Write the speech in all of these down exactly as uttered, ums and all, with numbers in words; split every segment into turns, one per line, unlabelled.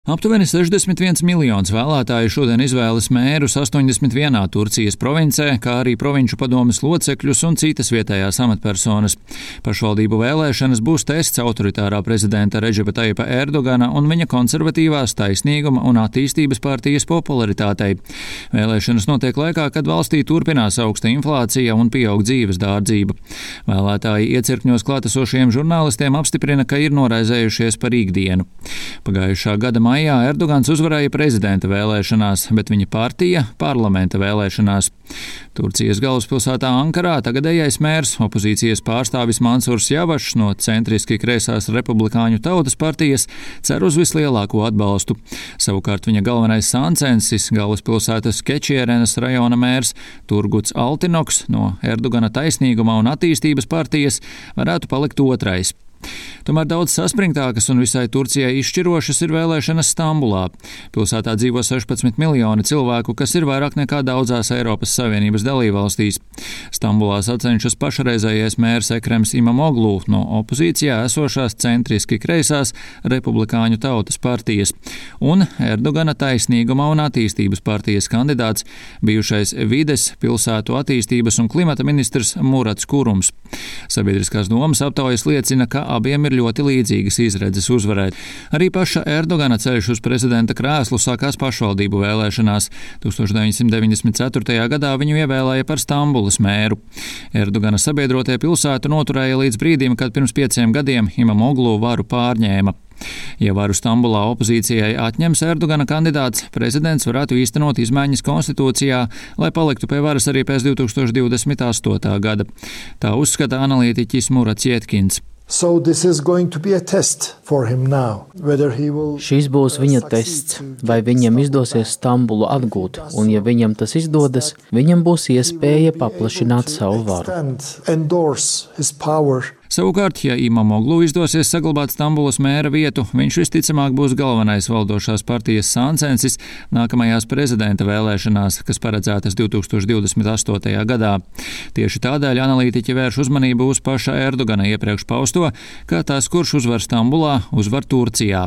Aptuveni sešdesmit viens miljonus vēlētāju šodien izvēlas mērus astoņdesmit vienā Turcijas provincē, kā arī provinču padomes locekļus un citas vietējās amatpersonas. Pašvaldību vēlēšanas būs tests autoritārā prezidenta Redžepa Tajipa Erdogana un viņa konservatīvās Taisnīguma un attīstības partijas popularitātei. Vēlēšanas notiek laikā, kad valstī turpinās augsta inflācija un pieaug dzīves dārdzība. Vēlētāji iecirkņos klātesošiem žurnālistiem apstiprina, ka ir noraizējušies par ikdienu. Pagājušā gada maijā Erdogans uzvarēja prezidenta vēlēšanās, bet viņa partija parlamenta vēlēšanās. Turcijas galvaspilsētā Ankarā tagadējais mērs, opozīcijas pārstāvis Mansurs Javašs no centriski kreisās Republikāņu tautas partijas, cer uz vislielāko atbalstu. Savukārt viņa galvenais sāncensis, galvaspilsētas Kečierenas rajona mērs Turguts Altinoks no Erdogana Taisnīguma un attīstības partijas varētu palikt otrais. Tomēr daudz saspringtākas un visai Turcijai izšķirošas ir vēlēšanas Stambulā. Pilsētā dzīvo sešpadsmit miljoni cilvēku, kas ir vairāk nekā daudzās Eiropas Savienības dalībvalstīs. Stambulā sacenšas pašreizējais mērs Ekrems Imamoglu no opozīcijā esošās centriski kreisās Republikāņu tautas partijas un Erdogana Taisnīguma un attīstības partijas kandidāts, bijušais vides, pilsētu attīstības un klimata ministrs Murats Kurums. Sabiedriskās domas aptaujas liecina, ka abiem ir ļoti līdzīgas izredzes uzvarēt. Arī paša Erdogana ceļš uz prezidenta krēslu sākās pašvaldību vēlēšanās. tūkstoš deviņsimt deviņdesmit ceturtajā gadā viņu ievēlēja par Stambulas mēru. Erdogana sabiedrotie pilsētu noturēja līdz brīdim, kad pirms pieciem gadiem Imamoglu varu pārņēma. Ja varu Stambulā opozīcijai atņems Erdogana kandidāts, prezidents varētu īstenot izmaiņas konstitūcijā, lai paliktu pie varas arī pēc divtūkstoš divdesmit astotā gada. Tā uzskata analītiķis Murats Jetkins.
So this is going to be a test for him now, whether he will...
Šis būs viņa tests, vai viņam izdosies Stambulu atgūt, un ja viņam tas izdodas, viņam būs iespēja paplašināt savu varu.
Savukārt, ja Imamoglu izdosies saglabāt Stambulas mēra vietu, viņš visticamāk būs galvenais valdošās partijas sāncensis nākamajās prezidenta vēlēšanās, kas paredzētas divtūkstoš divdesmit astotajā gadā. Tieši tādēļ analītiķi vērš uzmanību uz paša Erdogana iepriekš pausto, ka tas, kurš uzvar Stambulā, uzvar Turcijā.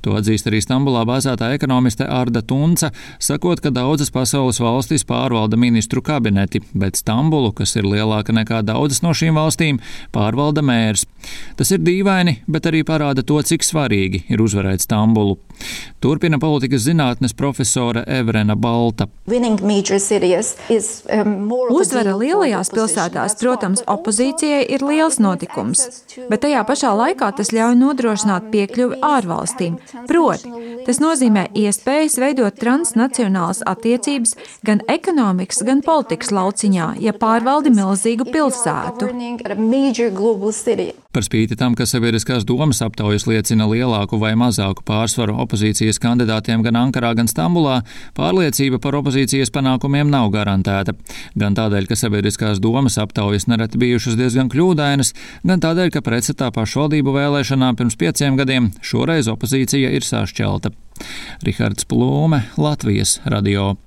To atzīst arī Stambulā bāzētā ekonomiste Arda Tunca, sakot, ka daudzas pasaules valstis pārvalda ministru kabineti, bet Stambulu, kas ir lielāka nekā daudzas no šīm valstīm, pārvalda mērs. Tas ir dīvaini, bet arī parāda to, cik svarīgi ir uzvarēt Stambulu. Turpina politikas zinātnes profesore Evrena Balta.
Uzvara lielajās pilsētās, protams, opozīcijai ir liels notikums, bet tajā pašā laikā tas ļauj nodrošināt piekļuvi ārvalstīm. Proti, tas nozīmē iespējas veidot transnacionālas attiecības gan ekonomikas, gan politikas lauciņā, ja pārvaldi milzīgu pilsētu.
Par spīti tam, ka sabiedriskās domas aptaujas liecina lielāku vai mazāku pārsvaru opozīcijas kandidātiem gan Ankarā, gan Stambulā, pārliecība par opozīcijas panākumiem nav garantēta. Gan tādēļ, ka sabiedriskās domas aptaujas nereti bijušas diezgan kļūdainas, gan tādēļ, ka pretstatā pašvaldību vēlēšanām pirms pieciem gadiem šoreiz opozīcija ir sašķelta. Rihards Plūme, Latvijas radio.